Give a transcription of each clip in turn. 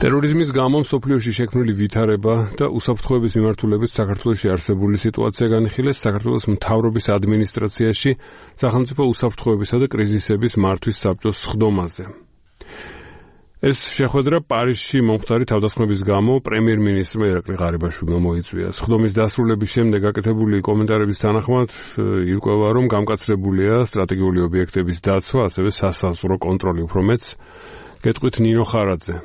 ტერორიზმის გამო მსოფლიოში შექმნილი ვითარება და უსაფრთხოების მიმართულებით საქართველოში არსებული სიტუაცია განიხილეს საქართველოს მთავრობის ადმინისტრაციაში სახელმწიფო უსაფრთხოებისა და კრიზისების მართვის საბჭოს სხდომაზე. ეს შეხვედრა პარიზში მომხდარი თავდასხმების გამო პრემიერ-მინისტრმა ირაკლი ღარიბაშვილმა მოიწვია. სხდომის დასრულების შემდეგ გაკეთებული კომენტარების თანახმად ირკვევა, რომ გამკაცრებულია სტრატეგიული ობიექტების დაცვა, ასევე სასაზღვრო კონტროლი. უფრო მეტს გეტყვით ნინო ხარაძე.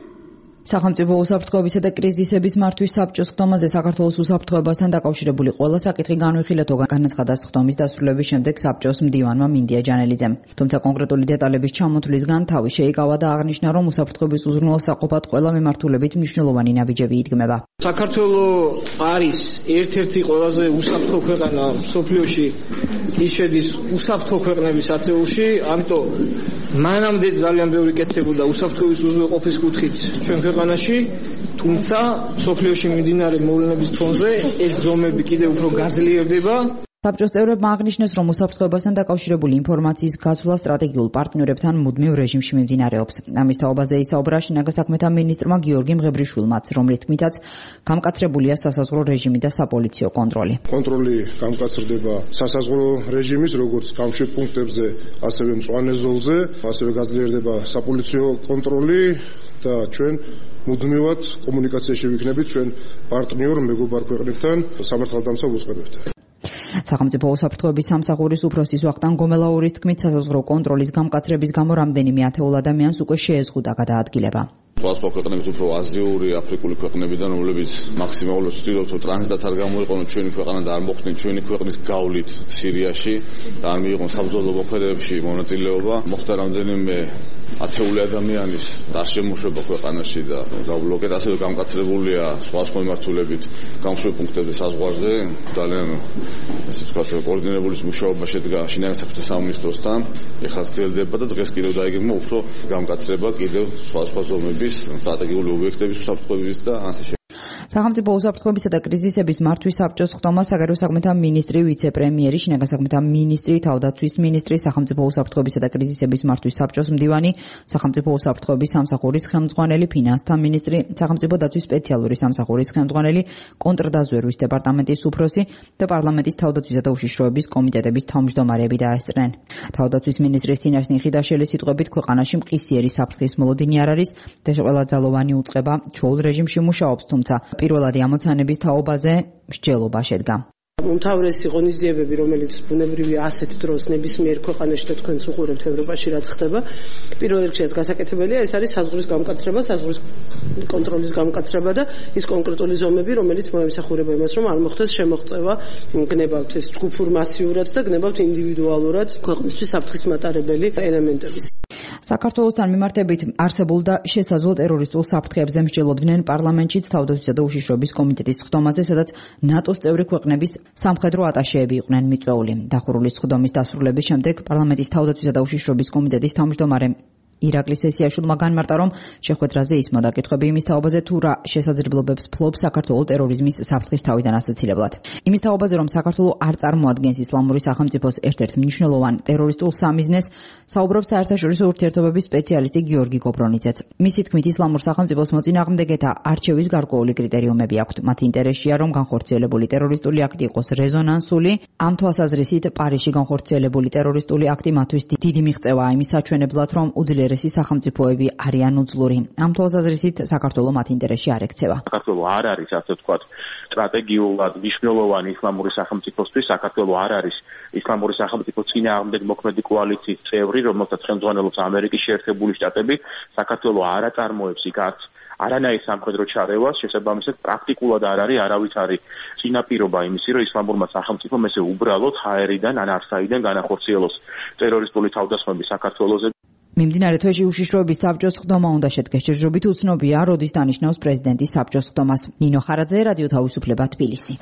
სახელმწიფო უსაფრთხოებისა და კრიზისების მართვის საბჭოს სხდომაზე საქართველოს უსაფრთხოებასთან დაკავშირებული ყველა საკითხი განვიხილეთო, განაცხადა სხდომის დასრულების შემდეგ საბჭოს მდივანმა მინდია ჯანელიძემ. თუმცა კონკრეტული დეტალების ჩამოთვლისგან თავი შეიკავა და აღნიშნა, რომ უსაფრთხოების უზრუნველსაყოფად ყველა მიმართულებით მნიშვნელოვანი ნაბიჯები იდგმება. საქართველოს არის ერთ-ერთი ყველაზე უსაფრთხო ქვეყანა მსოფლიოში, ის შედის უსაფრთხო ქვეყნების ათეულში, ამიტომ მანამდე ძალიან ბევრი კეთდებოდა უსაფრთხოების უზრუნველყოფის კუთხით ჩვენ ქვეყანაში, თუმცა მსოფლიოში მიმდინარე მოვლენების ფონზე ეს ზომები კიდევ უფრო გაძლიერდება. საბჭოს წევრებმა აღნიშნეს, რომ უსაფრთხოებასთან დაკავშირებული ინფორმაციის გაცვლა სტრატეგიულ პარტნიორებთან მუდმივ რეჟიმში მიმდინარეობს. ამის თაობაზე ისაუბრა შინაგან საქმეთა მინისტრმა გიორგი მღებრიშვილმაც, რომლის თქმითაც გამკაცრებულია სასაზღვრო რეჟიმი და საპოლიციო კონტროლი. კონტროლი გამკაცრდება სასაზღვრო რეჟიმის, როგორც გამშვიდ პუნქტებზე, ასევე მწვანე ზოლზე, ასევე გაძლიერდება საპოლიციო კონტროლი და ჩვენ მუდმივად კომუნიკაციაში ვიქნებით ჩვენ პარტნიორ მეგობარ ქვეყნებთან, სამართალდამცავ უწყებებთან. სახელმწიფო უსაფრთხოების სამსახურის უფროსის ვახტანგ გომელაურის თქმით, სასაზღვრო კონტროლის გამკაცრების გამო რამდენიმე ათეულ ადამიანს უკვე შეეზღუდა გადაადგილება. სხვა ქვეყნების უფრო აზიური, აფრიკული ქვეყნებიდან, რომლებიც მაქსიმალურად ვცდილობთ, რომ ტრანზიტად არ გამოიყენონ ჩვენი ქვეყანა და არ მოხდნენ ჩვენი ქვეყნის გავლით სირიაში და არ მიიღონ საბრძოლო მოქმედებებში მონაწილეობა. მოხდა რამდენიმე ათეული ადამიანის დაშემოშება ქვეყანაში და დაბლოკეთ, ასევე გამკაცრებულია სხვა მიმართულებით გამშვიდ პუნქტებზე საზღვარზე. ძალიან ესე ვთქვათ, კოორდინირებული მუშაობა შედგა შინაგან საქმეთა სამინისტროსთან. ეხლა გრძელდება და დღეს კიდევ დაიგეგმა უფრო გამკაცრება კიდევ სხვა ზომების სტრატეგიული ობიექტების უსაფრთხოების და ასე შემდეგ. სახელმწიფო უსაფრთხოებისა და კრიზისების მართვის საბჭოს სხდომა საგარეო საქმეთა მინისტრი, ვიცე-პრემიერი, შინაგან საქმეთა მინისტრი, თავდაცვის მინისტრი, სახელმწიფო უსაფრთხოებისა და კრიზისების მართვის საბჭოს მდივანი, სახელმწიფო უსაფრთხოების სამსახურის ხელმძღვანელი, ფინანსთა მინისტრი, სახელმწიფო დაცვის სპეციალური სამსახურის ხელმძღვანელი, კონტრდაზვერვის დეპარტამენტის უფროსი და პარლამენტის თავდაცვისა და უშიშროების კომიტეტების თავმჯდომარეები დაესწრნენ. თავდაცვის მინისტრის თინაშ ნიხიდაშელის სიტყვებით, ქვეყანაში მყისიერი საფრთხის მოლოდინი არ არის და ყველა ძალოვანი უწყება ჩვეულ რეჟიმში მუშაობს, თუმცა პირველადი ამოცანების თაობაზე მსჯელობა შედგა. უმთავრესი ღონისძიებები, რომელიც ბუნებრივია ასეთ დროს ნებისმიერ ქვეყანაში და თქვენს უყურებთ ევროპაში რაც ხდება, პირველ რიგში გასაკეთებელია, ეს არის საზღვრის გამკაცრება, საზღვრის კონტროლის გამკაცრება და ის კონკრეტული ზომები, რომელიც მოემსახურება იმას, რომ არ მოხდეს შემოღწევა, გნებავთ ეს ჯგუფურ მასიურად და გნებავთ ინდივიდუალურად ქვეყნისთვის საფრთხის მატარებელი ელემენტების. საქართველოსთან მიმართებით არსებულ და შესაძლო ტერორისტულ საფრთხეებზე მსჯელობდნენ პარლამენტშიც თავდაცვისა და უშიშროების კომიტეტის სხდომაზე, სადაც ნატოს წევრი ქვეყნების სამხედრო ატაშეები იყვნენ მიწვეული. დახურული სხდომის დასრულების შემდეგ პარლამენტის თავდაცვისა და უშიშროების კომიტეტის თავმჯდომარე ირაკლი სესიაშვილმა განმარტა, რომ შეხვედრაზე ისმოდა კითხვები იმის თაობაზე, თუ რა შესაძლებლობებს ფლობს საქართველოს ტერორიზმის საფრთხის თავიდან ასაცილებლად. იმის თაობაზე, რომ საქართველოს არ წარმოადგენს ისლამური სახელმწიფოს ერთ-ერთ მნიშვნელოვან ტერორისტულ სამიზნეს, საუბრობს საერთაშორისო ურთიერთობების სპეციალისტი გიორგი გობრონიძეც. მისი თქმით, ისლამურ სახელმწიფოს მოწინააღმდეგეთა არჩევის გარკვეული კრიტერიუმები აქვთ. მათ ინტერესია, რომ განხორციელებული ტერორისტული აქტი იყოს რეზონანსული. ამ თვალსაზრისით, პარიზში განხორციელებული ტერორისტული აქტი მათთვის დიდი მიღწევაა იმის საჩვენებლად, რომ უძლიერესი სახელმწიფოები არიან უძლური. ამ თვალსაზრისით საქართველოს მათ ინტერესში არ ექცევა. საქართველოს არ არის, ასე ვთქვათ, სტრატეგიულად მნიშვნელოვანი ისლამური სახელმწიფოსთვის. საქართველოს არ არის ისლამური სახელმწიფოს წინააღმდეგ მოქმედი კოალიციის წევრი, რომელსაც ხელმძღვანელობს ამერიკის შეერთებული შტატები. საქართველოს არ აწარმოებს იქ არანაირ სამხედრო ჩარევას, შესაბამისად პრაქტიკულად არ არის არავითარი წინაპირობა იმისი, რომ ისლამურმა სახელმწიფომ ესე უბრალოდ ჰაერიდან ან არსაიდან განახორციელოს ტერორისტული თავდასხმები საქართველოზე. მიმდინარე თვეში უშიშროების საბჭოს სხდომა უნდა შედგეს. ჯერჯერობით უცნობია, როდის დანიშნავს პრეზიდენტის საბჭოს სხდომას. ნინო ხარაძე, რადიო თავისუფლება, თბილისი.